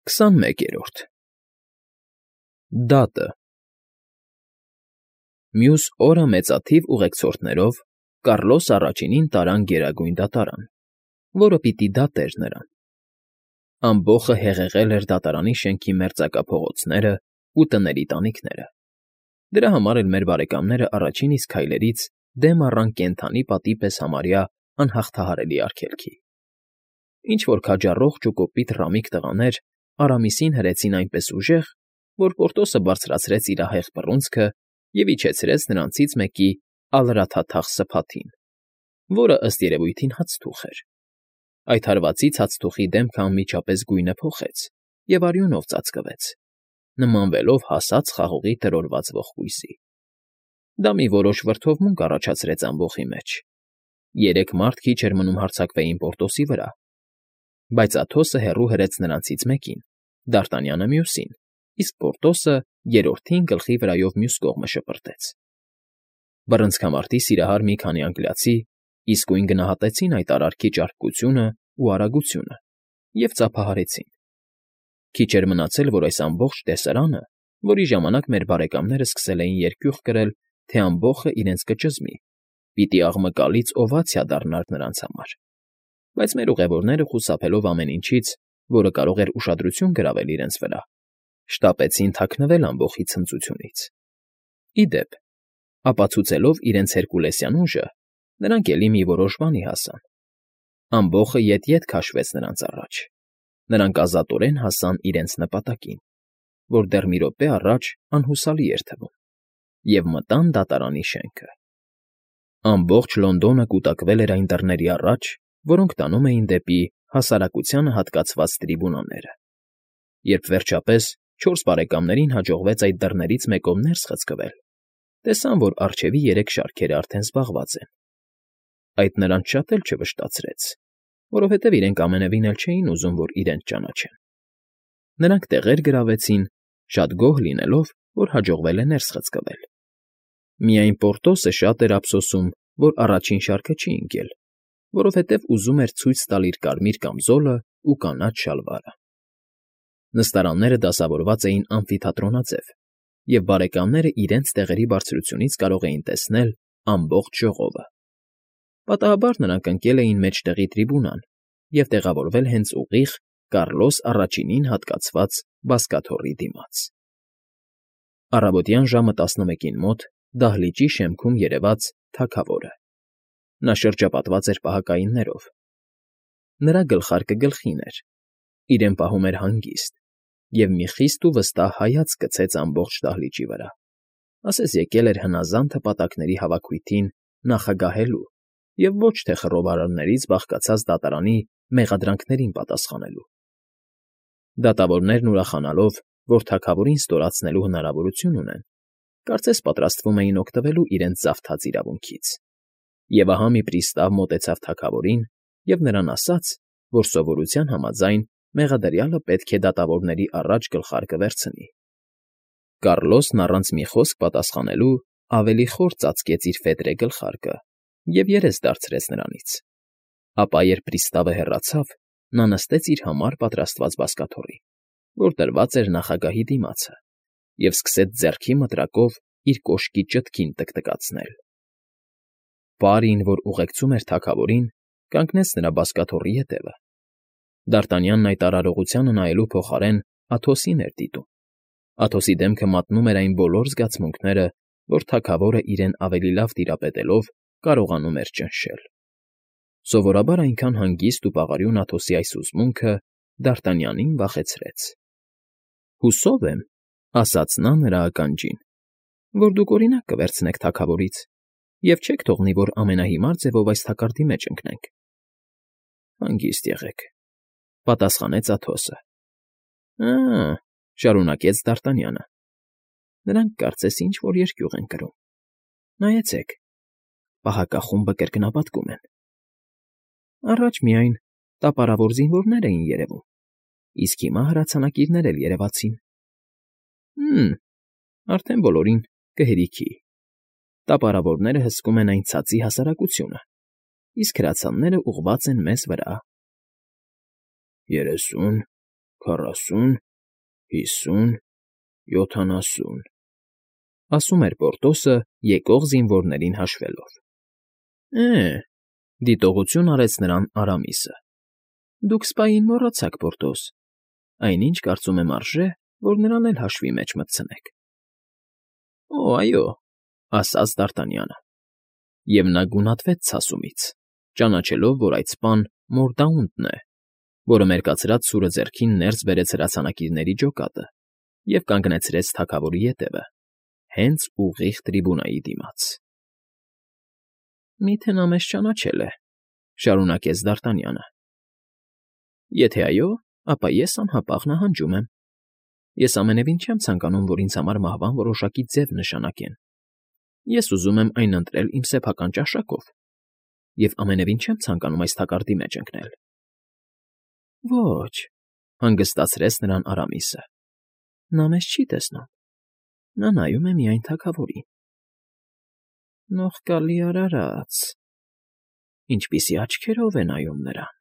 21-րդ Դատը Մյուս օրը մեծաթիվ ուղեկցորդներով Կառլոս առաջինին տարան Գերագույն Դատարան, որը պիտի դատեր նրան. ամբոխը հեղեղել էր դատարանի շենքի մերձակա փողոցներն ու տների տանիքները. դրա համար էլ մեր բարեկամները առաջին իսկ քայլերից դեմ առան կենդանի պատի պես համարյա անհաղթահարելի արգելքի. Ինչ-որ քաջառողջ ու կոպիտ ռամիկ տղաներ Արամիսին հրեցին այնպես ուժեղ, որ Պորտոսը բարձրացրեց իր ահեղ բռունցքը և իջեցրեց նրանցից մեկի ալրաթաթախ սփաթին, որը, ըստ երևույթին, հացթուխ էր. այդ հարվածից հացթուխի դեմքը անմիջապես գույնը փոխեց և արյունով ծածկվեց, նմանվելով հասած խաղողի տրորված ողկույզի. դա մի որոշ վրդովմունք առաջացրեց ամբոխի մեջ. 3 մարդ քիչ էր մնում հարձակվեին Պորտոսի վրա, բայց Աթոսը հեռու հրեց նրանցից մեկին, Դարտանյանը մյուսին, իսկ Պորտոսը երրորդին գլխի վրայով մյուս կողմը շպրտեց. Բռնցքամարտի սիրահար մի քանի անգլիացի իսկույն գնահատեցին այդ արարքի ճարպկությունն ու արագությունը և ծափահարեցին. քիչ էր մնացել, որ այս ամբողջ տեսարանը, որի ժամանակ մեր բարեկամները սկսել էին երկյուղ կրել, թե ամբոխը իրենց կճզմի, պիտի աղմկալից օվացիա դառնար նրանց համար, բայց մեր ուղևորները, խուսափելով ամեն ինչից, որը կարող էր ուշադրություն գրավել իրենց վրա, շտապեցին թաքնվել ամբոխի ցնծությունից. ի դեպ, ապացուցելով իրենց հերկուլեսյան ուժը, նրանք էլի մի որոշ բանի հասան. ամբոխը ետ-ետ քաշվեց նրանց առաջ, նրանք ազատորեն հասան իրենց նպատակին, որ դեռ մի րոպե առաջ անհուսալի էր թվում, և մտան դատարանի շենքը. ամբողջ Լոնդոնը կուտակվել էր այն դռների առաջ, որոնք տանում էին դեպի հասարակությանը հատկացված տրիբունաները. երբ վերջապես 4 բարեկամներին հաջողվեց այդ դռներից մեկով ներս խցկվել, տեսան, որ առջևի 3 շարքերը արդեն զբաղված են. այդ նրանց շատ էլ չվշտացրեց, որովհետև իրենք ամենևին էլ չէին ուզում, որ իրենց ճանաչեն. նրանք տեղեր գրավեցին, շատ գոհ լինելով, որ հաջողվել է ներս խցկվել. միայն Պորտոսը շատ էր ափսոսում, որ առաջին շարքը չի ընկել, որովհետև ուզում էր ցույց տալ իր կարմիր կամզոլն ու կանաչ շալվարը. Նստարանները դասավորված էին ամֆիթատրոնաձև, և բարեկամները իրենց տեղերի բարձրությունից կարող էին տեսնել ամբողջ ժողովը. Պատահաբար նրանք ընկել էին մեջտեղի տրիբունան և տեղավորվել հենց ուղիղ Կառլոս առաջինին հատկացված բազկաթոռի դիմաց. Առավոտյան ժամը 11-ին մոտ դահլիճի շեմքում երևաց թագավորը. նա շրջապատված էր պահակայիններով. նրա գլխարկը գլխին էր, իրեն պահում էր հանգիստ, և մի խիստ ու վստահ հայացք գցեց ամբողջ դահլիճի վրա, ասես եկել էր հնազանդ հպատակների հավաքույթին նախագահելու և ոչ թե խռովարարներից բաղկացած դատարանի մեղադրանքներին պատասխանելու։ Դատավորներն ուրախանալով, որ թագավորին ստորացնելու հնարավորություն ունեն, կարծես պատրաստվում էին օգտվելու իրենց զավթած իրավունքից, և ահա մի պրիստավ մոտեցավ թագավորին և նրան ասաց, որ սովորության համաձայն մեղադրյալը պետք է դատավորների առաջ գլխարկը վերցնի. Կառլոսն առանց մի խոսք պատասխանելու ավելի խոր ծածկեց իր ֆետրե գլխարկը և երես դարձրեց նրանից, ապա երբ պրիստավը հեռացավ, նա նստեց իր համար պատրաստված բազկաթոռի, որ տրված էր նախագահի դիմացը, և սկսեց ձեռքի մտրակով իր կոշկի ճտքին տկտկացնել. Պարին, որ ուղեկցում էր թագավորին, կանգնեց նրա բազկաթոռի ետևը. Դարտանյանն այդ արարողությանը նայելու փոխարեն Աթոսին էր դիտում. Աթոսի դեմքը մատնում էր այն բոլոր զգացմունքները, որ թագավորը իրեն ավելի լավ տիրապետելով կարողանում էր ճնշել. Սովորաբար այնքան հանգիստ ու պաղարյուն Աթոսի այս հուզմունքը Դարտանյանին վախեցրեց. «Հուսով եմ,֊ ասաց նա նրա ականջին,֊ որ դուք օրինակ կվերցնեք թագավորից և չեք թողնի, որ ամենահիմար ձևով այս թակարդի մեջ ընկնենք»։ «Հանգիստ եղեք,֊ պատասխանեց Աթոսը։ Ա՛,֊ շարունակեց Դարտանյանը,֊ նրանք կարծես ինչ֊որ երկյուղ են կրում. նայեցեք, պահակախումբը կրկնապատկում են. առաջ միայն տապարավոր զինվորներ էին երևում, իսկ հիմա հրացանակիրներ էլ երևացին։ Արդեն բոլորին կհերիքի. տապարավորները հսկում են այն ցածի հասարակությունը, իսկ հրացանները ուղղված են մեզ վրա»։ 30, 40, 50, 70, ասում էր Պորտոսը եկող զինվորներին հաշվելով։ Դիտողություն արեց նրան Արամիսը։ Դուք սպային մոռացաք, Պորտոս, այնինչ կարծում եմ արժե, որ նրան էլ հաշվի մեջ մտցնեք։ Օ, այո, ասաց Դ'Արտանյանը։ Եվ նա գունատվեց ցասումից, ճանաչելով, որ այդ սպան Մորդաունտն է, որը մերկացրած սուրը ձեռքին ներս բերեց հրացանակիրների ջոկատը և կանգնեցրեց թագավորի ետևը, հենց ուղիղ տրիբունայի դիմաց։ Միթե նա մեզ ճանաչել է, շարունակեց Դ'Արտանյանը։ Եթե այո, ապա ես անհապաղ նահանջում եմ։ Ես ամենևին չեմ ցանկանում, որ ինձ համար մահվան որոշակի ձև նշանակեն։ Ես ուզում եմ այն ընտրել իմ սեփական ճաշակով և ամենևին չեմ ցանկանում այս թակարդի մեջ ընկնել։ Ոչ, հանգստացրեց նրան Արամիսը։ Նա մեզ չի տեսնում։ Նա նայում է միայն թագավորին։ Նողկալի արարած, ինչպիսի աչքերով է նայում նրան։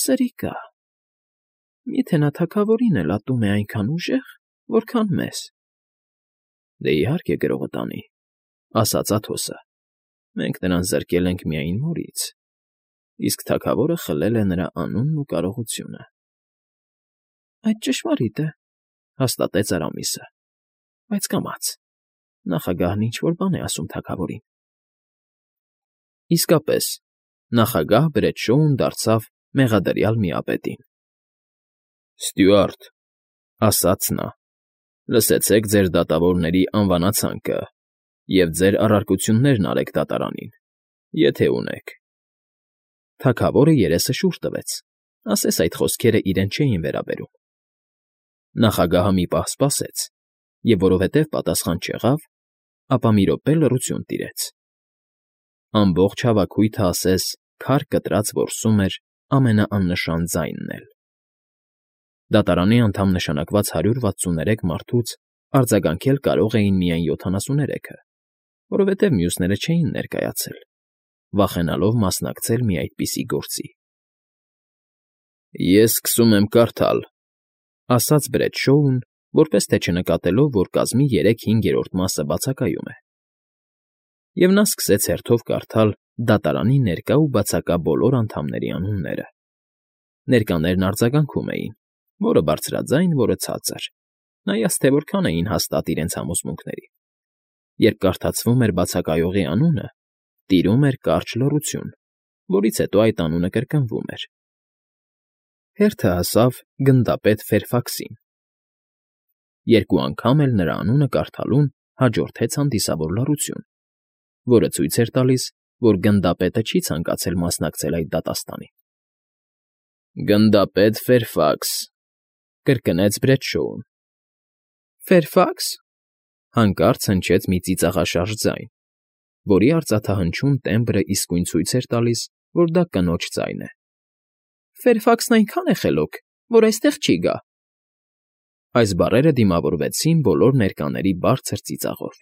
Սրիկա, միթե նա թագավորին էլ ատում է այնքան ուժեղ, որքան մեզ։ Դե իհարկե գրողը տանի, ասաց Աթոսը։ Մենք նրան զրկել ենք միայն մորից, իսկ թագավորը խլել է նրա անունն ու կարողությունը։ Այդ ճշմարիտ է, հաստատեց Արամիսը, բայց կամաց, նախագահն ինչ֊որ բան է ասում թագավորին։ Իսկապես, նախագահ Բրեդշոուն դարձավ մեղադրյալ միապետին։ Ստյուարտ, ասաց նա, լսեցեք ձեր դատավորների անվանացանքը և ձեր առարկություններն արեք դատարանին, եթե ունեք։ Թագավորը երեսը շուռ տվեց, ասես այդ խոսքերը իրեն չէին վերաբերում։ Նախագահը մի պահ սպասեց, և որովհետև պատասխան չեղավ, ապա մի րոպե լռություն տիրեց։ Ամբողջ հավաքույթը ասես քար կտրած որսում էր ամենաաննշան ձայնն էլ։ Դատարանի անդամ նշանակված 163 մարդուց արձագանքել կարող էին միայն 73-ը, որովհետև մյուսները չէին ներկայացել, վախենալով մասնակցել մի այդպիսի գործի։ Ես սկսում եմ կարդալ, ասաց Բրեդշոուն, որպես թե չնկատելով, որ կազմի 3/5 մասը բացակայում է։ Եվ նա սկսեց հերթով կարդալ դատարանի ներկա ու բացակա բոլոր անդամների անունները։ Ներկաներն արձագանքում էին, որը բարձրաձայն, որը ցածր, նայած թե որքան էին հաստատ իրենց համոզմունքների։ Երբ կարդացվում էր բացակայողի անունը, տիրում էր կարճ լռություն, որից հետո այդ անունը կրկնվում էր։ Հերթը հասավ գնդապետ Ֆերֆաքսին։ Երկու անգամ էլ նրա անունը կարդալուն հաջորդեց հանդիսավոր լռություն, որը ցույց էր տալիս, որ գնդապետը չի ցանկացել մասնակցել այդ դատաստանին։ Գնդապետ Ֆերֆաքս, կրկնեց Բրեդշոուն։ Ֆերֆաքս, հանկարծ հնչեց մի ծիծաղաշարժ ձայն, որի արծաթահնչյուն տեմբրը իսկույն ցույց էր տալիս, որ դա կնոջ ձայն է։ Ֆերֆաքսն այնքան է խելոք, որ այստեղ չի գա։ Այս բառերը դիմավորվեցին բոլոր ներկաների բարձր ծիծաղով։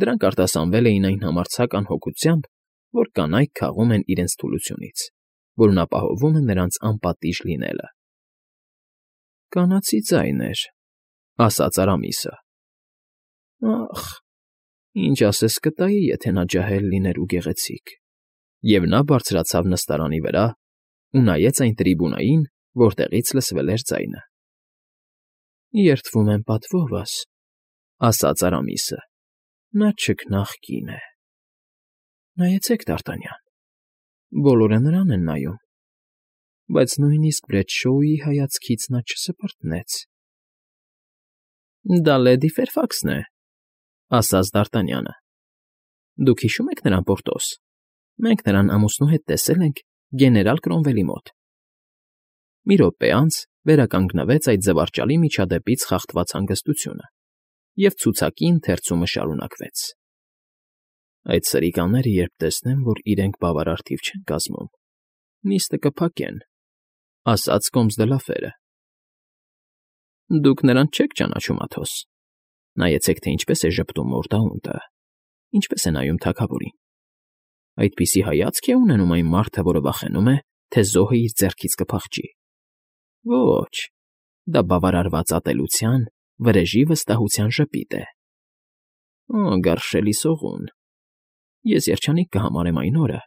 Դրանք արտասանվել էին այն համարձակ անհոգությամբ, որ կանայք քաղում են իրենց թուլությունից, որն ապահովում է նրանց անպատիժ լինելը։ Կանացի ձայն էր, ասաց Արամիսը։ Ախ, ինչ ասես կտայի, եթե նա ջահել լիներ ու գեղեցիկ։ Եվ նա բարձրացավ նստարանի վրա ու նայեց այն տրիբունային, որտեղից լսվել էր ձայնը։ Երդվում եմ պատվովս, ասաց Արամիսը։ Նա չքնաղ կին է։ Նայեցեք, Դ'Արտանյան, բոլորը նրան են նայում, բայց նույնիսկ Բրեդշոուի հայացքից նա չսպրտնեց։ Դա լեդի Ֆերֆաքսն է, ասաց Դ'Արտանյանը։ Դուք հիշո՞ւմ եք նրան, Պորտոս։ Մենք նրան ամուսնու հետ տեսել ենք գեներալ Կրոմվելի մոտ։ Մի րոպե անց վերականգնվեց այդ զվարճալի միջադեպից խախտված հանգստությունը, և ցուցակի ընթերցումը շարունակվեց։ Այդ սրիկաները, երբ տեսնեն, որ իրենք բավարար թիվ չեն կազմում, նիստը կփակեն, ասաց Կոմս դը Լաֆերը։ Դուք նրան չեք ճանաչում, Աթոս։ Նայեցեք, թե ինչպես է ժպտում Մորդաունտը, ինչպես է նայում թագավորին։ Այդպիսի հայացք է ունենում այն մարդը, որը վախենում է, թե զոհը իր ձեռքից կփախչի։ Ոչ, դա բավարարված ատելության, վրեժի վստահության ժպիտ է։ Օ, գարշելի սողուն, ես երջանիկ կհամարեմ այն օրը,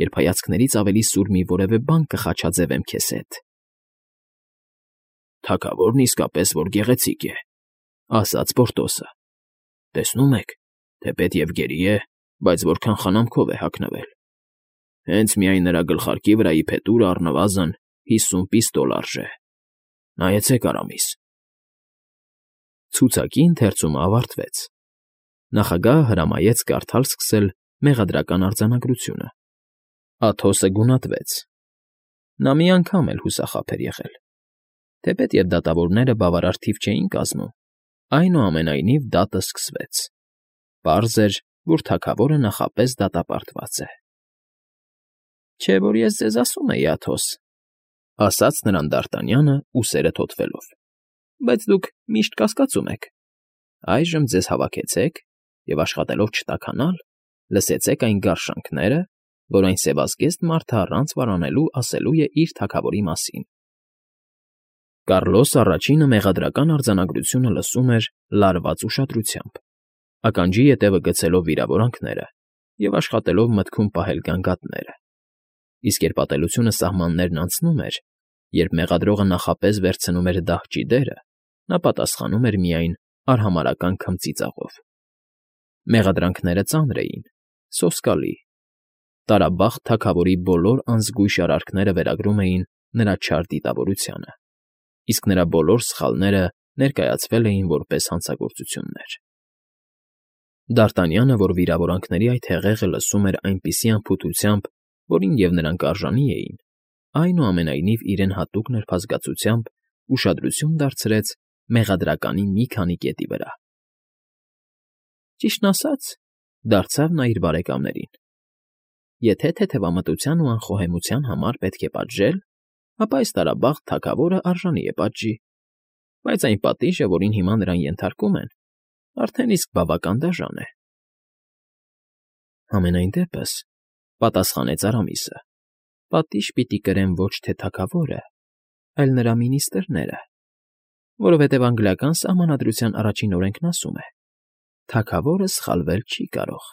երբ հայացքներից ավելի սուր մի որևէ բան կխաչաձևեմ քեզ հետ։ Թագավորն իսկապես որ գեղեցիկ է, ասաց Պորտոսը։ Տեսնում եք, թեպետ և գերի է, բայց որքան խնամքով է հագնվել։ Հենց միայն նրա գլխարկի վրայի փետուրը առնվազն 50 պիստոլ արժե։ Նայեցեք արամիս։ Ցուցակի ընթերցումը ավարտվեց։ Նախագահը հրամայեց կարդալ սկսել մեղադրական արձանագրությունը։ Աթոսը գունատվեց։ Նա մի անգամ էլ հուսախաբ էր եղել։ Թեպետ և դատավորները բավարար թիվ չէին կազմում, այնուամենայնիվ դատը սկսվեց։ Պարզ էր, որ թագավորը նախապես դատապարտված է։ Չէ՞ որ ես ձեզ ասում էի, Աթոս, ասաց նրան Դարտանյանը, ուսերը թոթվելով, բայց դուք միշտ կասկածում եք։ Այժմ ձեզ հավաքեցեք և աշխատելով չտաքանալ, լսեցեք այն գարշանքները, որ այն սևազգեստ մարդը առանց վարանելու ասելու է իր թագավորի մասին։ Կառլոս առաջինը մեղադրական արձանագրությունը լսում էր լարված ուշադրությամբ, ականջի ետևը գցելով վիրավորանքները և աշխատելով մտքում պահել գանգատները, իսկ երբ ատելությունը սահմաններն անցնում էր, երբ մեղադրողը նախապես վերցնում էր դահճի դերը, նա պատասխանում էր միայն արհամարհական քմծիծաղով։ Մեղադրանքները ծանր էին, սոսկալի։ Տարաբախտ թագավորի բոլոր անզգույշ արարքները վերագրում էին նրա չար դիտավորությանը, իսկ նրա բոլոր սխալները ներկայացվել էին որպես հանցագործություններ։ Դարտանյանը, որ վիրավորանքների այդ հեղեղը լսում էր այնպիսի անփութությամբ, որին և նրանք արժանի էին, այնուամենայնիվ իրեն հատուկ նրբազգացությամբ ուշադրություն դարձրեց մեղադրականի մի քանի կետի վրա։ Ճիշտն ասած, դարձավ նա իր բարեկամներին, եթե թեթևամտության ու անխոհեմության համար պետք է պատժել, ապա այս տարաբաղտ թագավորը արժանի է պատժի, բայց այն պատիժը, որին հիմա նրան ենթարկում են, արդեն իսկ բավական դաժան է։ Համենայն դեպս, պատասխանեց Արամիսը, պատիժ պիտի կրեն ոչ թե թագավորը, այլ նրա մինիստրները, որովհետև անգլիական սահմանադրության առաջին օրենքն ասում է. թագավորը սխալվել չի կարող։